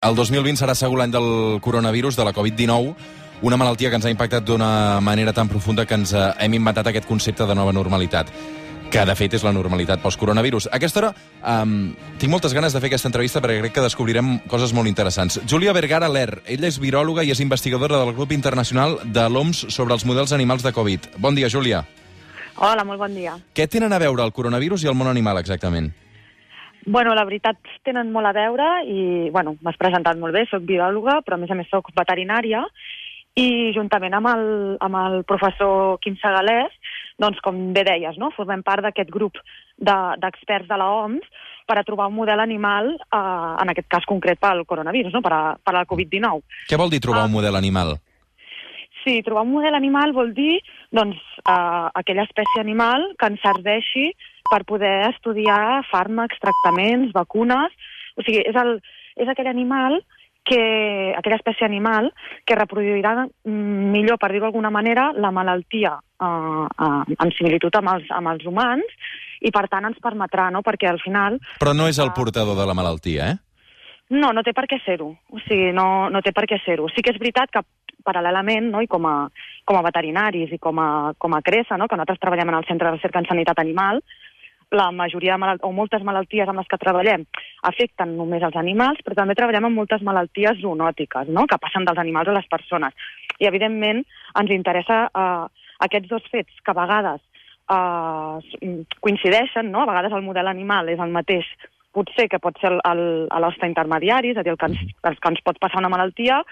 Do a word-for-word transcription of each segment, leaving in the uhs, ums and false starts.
El dos mil vint serà segur l'any del coronavirus, de la covid dinou, una malaltia que ens ha impactat d'una manera tan profunda que ens hem inventat aquest concepte de nova normalitat, que de fet és la normalitat post-coronavirus. A aquesta hora um, tinc moltes ganes de fer aquesta entrevista perquè crec que descobrirem coses molt interessants. Júlia Vergara Ler, ella és viròloga i és investigadora del grup internacional de l'O M S sobre els models animals de Covid. Bon dia, Júlia. Hola, molt bon dia. Què tenen a veure el coronavirus i el món animal, exactament? Bueno, la veritat, tenen molt a veure i, bueno, m'has presentat molt bé, soc viròloga, però a més a més soc veterinària i juntament amb el, amb el professor Quim Segalés, doncs com bé deies, no? Formem part d'aquest grup d'experts de, de la O M S per a trobar un model animal, eh, en aquest cas concret pel coronavirus, no? per, a, per a la covid dinou. Què vol dir trobar ah. un model animal? Sí, trobar un model animal vol dir doncs, eh, aquella espècie animal que ens serveixi per poder estudiar fàrmacs, tractaments, vacunes. O sigui, és, el, és aquell animal, que, aquella espècie animal que reproduirà millor, per dir-ho d'alguna manera, la malaltia eh, eh, en similitud amb els, amb els humans i, per tant, ens permetrà, no? Perquè al final... Però no és el portador de la malaltia, eh? No, no té per què ser-ho. O sigui, no, no té per què ser-ho. Sí que és veritat que paral·lelament, no? I com a, com a veterinaris i com a, com a CRESA, no? Que nosaltres treballem en el Centre de Recerca en Sanitat Animal, la majoria de malalt... o moltes malalties amb les que treballem afecten només els animals, però també treballem amb moltes malalties zoonòtiques, no? Que passen dels animals a les persones. I, evidentment, ens interessa eh, aquests dos fets que a vegades eh, coincideixen, no? A vegades el model animal és el mateix, potser que pot ser l'hoste intermediari, és a dir, el que ens, el que ens pot passar una malaltia,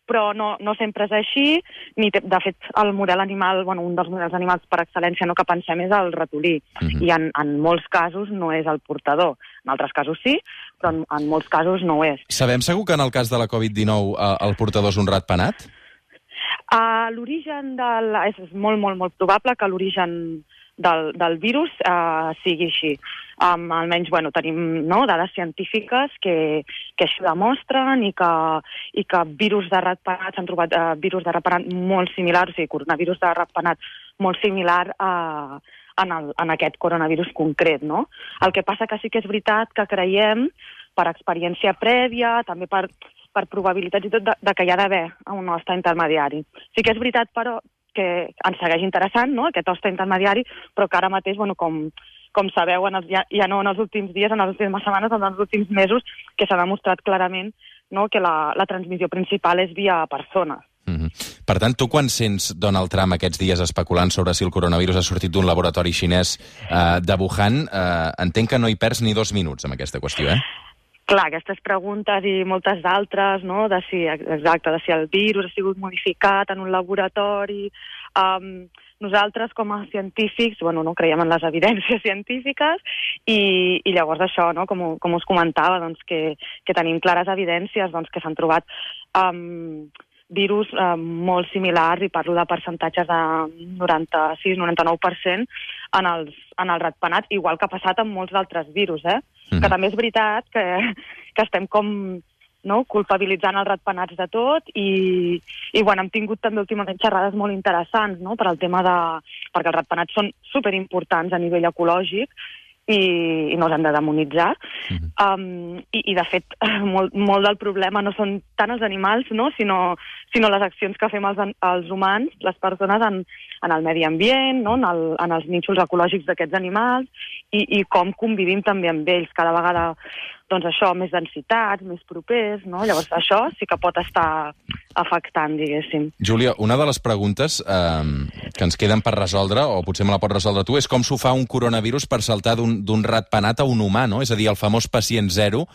però no, no sempre és així, ni té, de fet el model animal, bueno, un dels models animals per excel·lència no que pensem és el ratolí, uh-huh. i en, en molts casos no és el portador. En altres casos sí, però en, en molts casos no ho és. Sabem segur que en el cas de la covid dinou eh, el portador és un ratpenat? Uh, l'origen del... És molt, molt, molt probable que l'origen del, del virus uh, sigui així. Um, almenys, bueno, tenim no, dades científiques que, que així demostren i que, i que virus de ratpenat, s'han trobat uh, virus de ratpenat molt similars, o sigui, coronavirus de ratpenat molt similar a, en, el, en aquest coronavirus concret, no? El que passa que sí que és veritat que creiem, per experiència prèvia, també per, per probabilitats i tot, de, de que hi ha d'haver un hoste intermediari. Sí que és veritat, però, que ens segueix interessant, no?, aquest hoste intermediari, però que ara mateix, bueno, com... com sabeu, en els, ja, ja no en els últims dies, en les últimes setmanes, en els últims mesos, que s'ha demostrat clarament, no, que la, la transmissió principal és via persones. Mm-hmm. Per tant, tu quan sents Donald Trump aquests dies especulant sobre si el coronavirus ha sortit d'un laboratori xinès eh, de Wuhan, eh, entenc que no hi perds ni dos minuts amb aquesta qüestió, eh? Clar, aquestes preguntes i moltes d'altres, no?, de si, exacte, de si el virus ha sigut modificat en un laboratori... Um, nosaltres, com a científics, bueno, no creiem en les evidències científiques i, i llavors això, no?, com, com us comentava, doncs, que, que tenim clares evidències doncs, que s'han trobat um, virus um, molt similars, i parlo de percentatges de noranta-sis noranta-nou per cent en els, en el ratpenat, igual que ha passat amb molts d'altres virus, eh? Mm. Que també és veritat que, que estem com... no? culpabilitzant els ratpenats de tot i, i bueno, hem tingut també últimament xerrades molt interessants, no? Per al tema de... perquè els ratpenats són superimportants a nivell ecològic i, i no els hem de demonitzar. Mm-hmm. um, i, i de fet molt, molt del problema no són tant els animals, no? sinó, sinó les accions que fem els, els humans, les persones en, en el medi ambient, no? en, el, en els nínxols ecològics d'aquests animals i, i com convivim també amb ells cada vegada. Doncs això, més densitats, més propers, no? Llavors això sí que pot estar afectant, diguéssim. Júlia, una de les preguntes eh, que ens queden per resoldre, o potser me la pots resoldre tu, és com s'ho fa un coronavirus per saltar d'un ratpenat a un humà, no? És a dir, el famós pacient zero.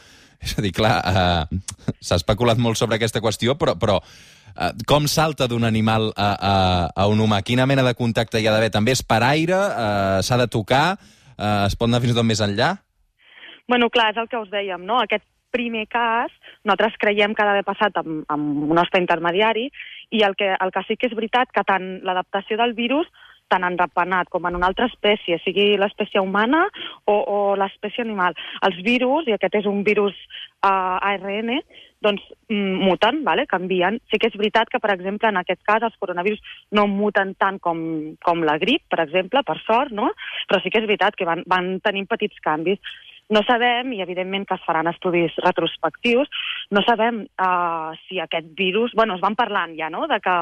És a dir, clar, eh, s'ha especulat molt sobre aquesta qüestió, però, però eh, com salta d'un animal a, a, a un humà? Quina mena de contacte hi ha d'haver? També és per aire? Eh, s'ha de tocar? Eh, es pot anar fins i tot més enllà? Bueno, clar, és el que us dèiem, no? Aquest primer cas, nosaltres creiem que ha d'haver passat amb, amb un hoste intermediari i el que, el que sí que és veritat que tant l'adaptació del virus, tant en ratpenat com en una altra espècie, sigui l'espècie humana o, o l'espècie animal, els virus, i aquest és un virus uh, A R N, doncs muten, vale? Canvien. Sí que és veritat que, per exemple, en aquest cas els coronavirus no muten tant com, com la grip, per exemple, per sort, no? Però sí que és veritat que van, van tenint petits canvis. No sabem, i evidentment que es faran estudis retrospectius, no sabem uh, si aquest virus... Bueno, es van parlant ja, no?, de que,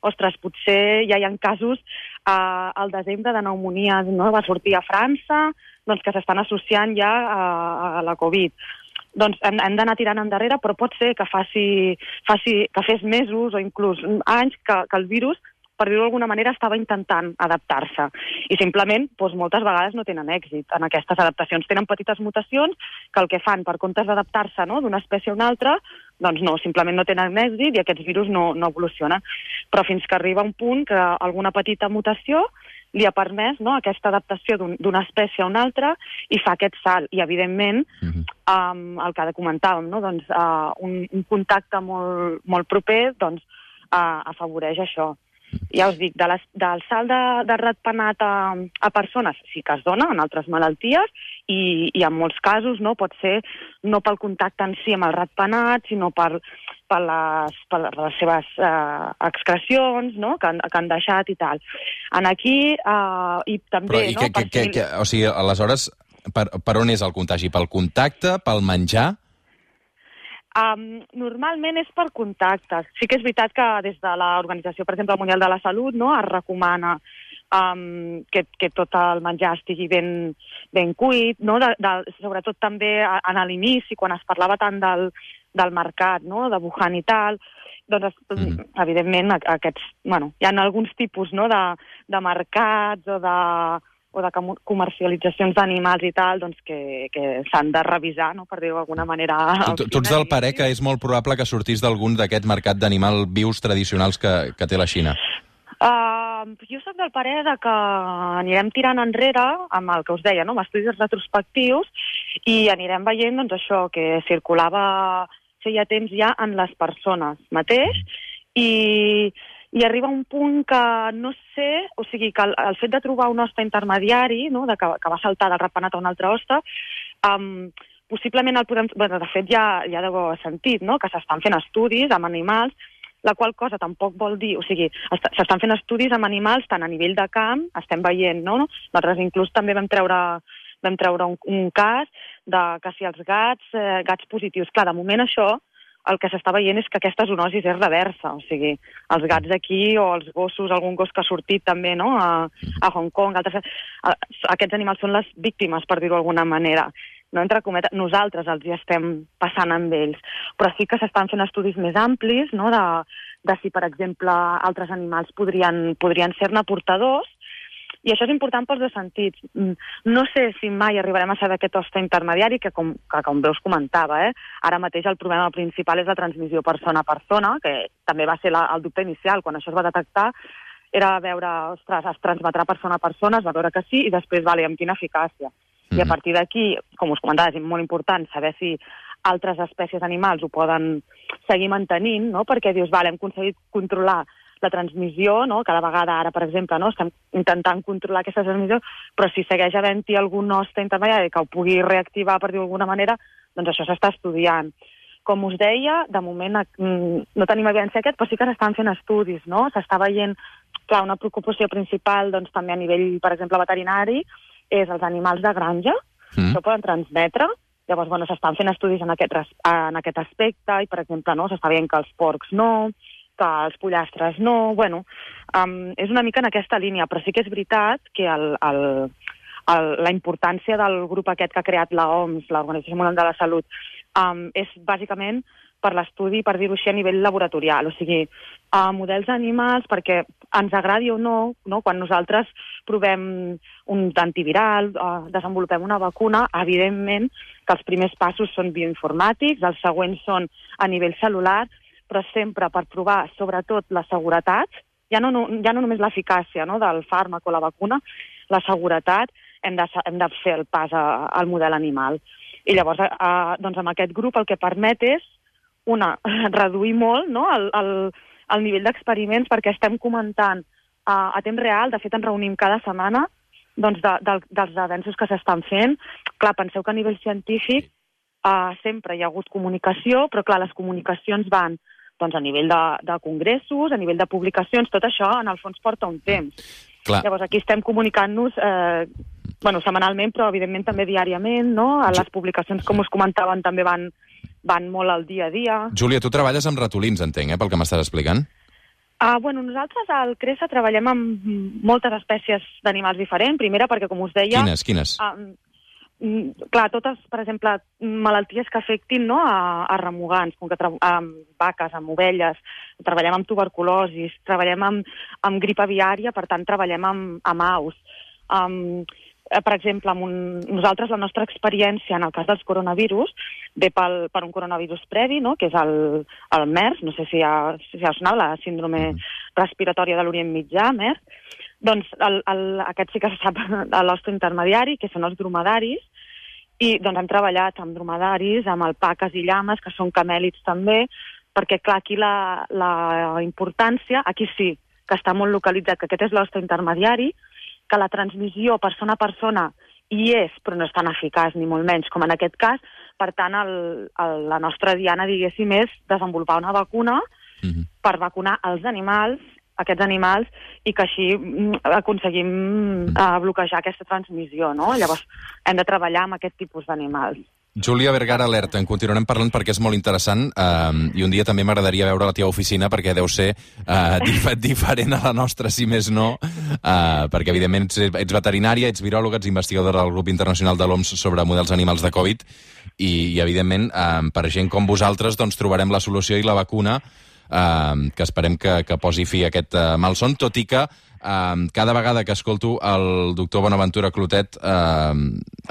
ostres, potser ja hi ha casos uh, al desembre de pneumònia, no?, va sortir a França, doncs que s'estan associant ja a, a la Covid. Doncs hem, hem d'anar tirant endarrere, però pot ser que faci, faci que fes mesos o inclús anys que, que el virus, per dir-ho d'alguna manera, estava intentant adaptar-se. I simplement, doncs, moltes vegades no tenen èxit en aquestes adaptacions. Tenen petites mutacions que el que fan, per comptes d'adaptar-se, no?, d'una espècie a una altra, doncs no, simplement no tenen èxit i aquests virus no, no evolucionen. Però fins que arriba un punt que alguna petita mutació li ha permès, no?, aquesta adaptació d'una un, espècie a una altra i fa aquest salt. I, evidentment, uh-huh. um, el que comentàvem, no?, doncs, uh, un, un contacte molt, molt proper doncs, uh, afavoreix això. Ja us dic, de les, del salt de, de ratpenat a, a persones sí que es dona en altres malalties i, i en molts casos no pot ser no pel contacte en si amb el ratpenat, sinó per, per, les, per les seves eh, excrecions, no?, que han, que han deixat i tal. En aquí, eh, i també... Però, i no, que, que, que, que, o sigui, aleshores, per, per on és el contagi? Pel contacte? Pel menjar? Um, normalment és per contactes. Sí que és veritat que des de l'Organització, per exemple, Mundial de la Salut, no, es recomana um, que, que tot el menjar estigui ben, ben cuit, no? de, de, sobretot també en l'inici, quan es parlava tant del, del mercat, no? De Wuhan i tal, doncs, mm. evidentment, aquests, bueno, hi ha alguns tipus, no?, de, de mercats o de... o de comercialitzacions d'animals i tal, doncs que, que s'han de revisar, no?, per dir-ho d'alguna manera. Tu, tu ets del parer que és molt probable que sortís d'algun d'aquest mercat d'animal vius tradicionals que, que té la Xina? Uh, jo soc del parer de que anirem tirant enrere amb el que us deia, no?, amb estudis retrospectius, i anirem veient, doncs, això, que circulava feia temps ja en les persones mateix, i... i arriba un punt que no sé, o sigui, que el, el fet de trobar un hoste intermediari, no?, de que, que va saltar del ratpenat a un altre hoste, um, possiblement el podem... Bueno, de fet, ja, ja deu haver sentit, no?, que s'estan fent estudis amb animals, la qual cosa tampoc vol dir... O sigui, s'estan fent estudis amb animals tant a nivell de camp, estem veient, no? Nosaltres inclús també vam treure, vam treure un, un cas de que si els gats, eh, gats positius... Clar, de moment això... el que s'està veient és que aquesta zoonosi és reversa, o sigui, els gats d'aquí o els gossos, algun gos que ha sortit també, no?, a, a Hong Kong, altres, a, aquests animals són les víctimes, per dir-ho d'alguna manera. No, entre cometes, nosaltres els hi estem passant amb ells, però sí que s'estan fent estudis més amplis, no?, de, de si, per exemple, altres animals podrien, podrien ser-ne portadors, i això és important pels dos sentits. No sé si mai arribarem a saber aquest hoste intermediari, que com, que com bé us comentava, eh? Ara mateix el problema principal és la transmissió persona a persona, que també va ser la, el dubte inicial. Quan això es va detectar era veure, ostres, es transmetrà persona a persona, es va veure que sí, i després, vale, amb quina eficàcia. Mm-hmm. I a partir d'aquí, com us comentava, és molt important saber si altres espècies animals ho poden seguir mantenint, no?, perquè dius, vale, hem aconseguit controlar la transmissió, no?, cada vegada ara, per exemple, no?, estem intentant controlar aquesta transmissió, però si segueix havent-hi algun hoste intermediari que ho pugui reactivar, per dir-ho d'alguna manera, doncs això s'està estudiant. Com us deia, de moment no tenim evidència aquest, però sí que s'estan fent estudis, no? S'està veient, clar, una preocupació principal, doncs també a nivell, per exemple, veterinari, és els animals de granja, mm. que poden transmetre. Llavors, bueno, s'estan fent estudis en aquest, en aquest aspecte, i, per exemple, no, s'està veient que els porcs no, que els pollastres no, bueno, um, és una mica en aquesta línia, però sí que és veritat que el, el, el, la importància del grup aquest que ha creat l'O M S, l'Organització Mundial de la Salut, um, és bàsicament per l'estudi, per dir-ho així, a nivell laboratorial, o sigui, uh, models animals, perquè ens agradi o no, no, quan nosaltres provem un antiviral, uh, desenvolupem una vacuna, evidentment que els primers passos són bioinformàtics, els següents són a nivell celular, però sempre per provar, sobretot, la seguretat, ja no, no, ja no només l'eficàcia, no?, del fàrmac o la vacuna, la seguretat, hem de, hem de fer el pas a, al model animal. I llavors, a, doncs, amb aquest grup el que permet és, una, reduir molt, no?, el, el, el nivell d'experiments, perquè estem comentant a, a temps real, de fet ens reunim cada setmana, doncs, de, de, dels avenços que s'estan fent. Clar, penseu que a nivell científic uh, sempre hi ha hagut comunicació, però clar, les comunicacions van doncs a nivell de, de congressos, a nivell de publicacions, tot això en el fons porta un temps. Clar. Llavors aquí estem comunicant-nos eh, bueno, setmanalment, però evidentment també diàriament, no? Les publicacions, com us comentaven, també van, van molt al dia a dia. Júlia, tu treballes amb ratolins, entenc, eh, pel que m'estàs explicant? Uh, bueno, nosaltres al CRESA treballem amb moltes espècies d'animals diferents. Primera, perquè, com us deia... Quines, quines? Uh, clar, totes, per exemple, malalties que afectin, no, a, a remugants, com que amb vaques, amb ovelles, treballem amb tuberculosis, treballem amb, amb grip aviària, per tant, treballem amb, amb aus. Um, per exemple, amb un, nosaltres la nostra experiència en el cas dels coronavirus ve pel, per un coronavirus previ, no?, que és el, el MERS, no sé si ha, si ha sonat, la síndrome mm. respiratòria de l'Orient Mitjà, MERS. Doncs el, el, aquest sí que se sap a l'hoste intermediari, que són els dromedaris, i doncs hem treballat amb dromedaris, amb alpaques i llames, que són camèlids també, perquè clar, aquí la, la importància, aquí sí, que està molt localitzat, que aquest és l'hoste intermediari, que la transmissió persona a persona hi és, però no és tan eficaç, ni molt menys, com en aquest cas. Per tant, el, el, la nostra diana, diguéssim, és desenvolupar una vacuna mm-hmm. per vacunar els animals, aquests animals, i que així aconseguim uh, bloquejar aquesta transmissió, no? Llavors, hem de treballar amb aquest tipus d'animals. Júlia Vergara, alerta, en continuarem parlant perquè és molt interessant eh, i un dia també m'agradaria veure la teva oficina perquè deu ser eh, dif diferent a la nostra, si més no, eh, perquè evidentment ets, ets veterinària, ets viròloga, ets investigadora del grup internacional de l'O M S sobre models animals de Covid i, i evidentment, eh, per gent com vosaltres, doncs trobarem la solució i la vacuna eh, que esperem que, que posi fi a aquest eh, malson, tot i que Uh, cada vegada que escolto el doctor Bonaventura Clotet uh,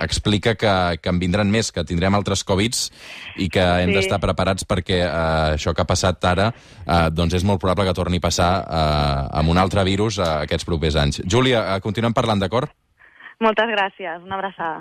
explica que, que en vindran més, que tindrem altres Covids i que hem sí. d'estar preparats perquè uh, això que ha passat ara uh, doncs és molt probable que torni a passar uh, amb un altre virus uh, aquests propers anys. Júlia, uh, continuem parlant, d'acord? Moltes gràcies, una abraçada.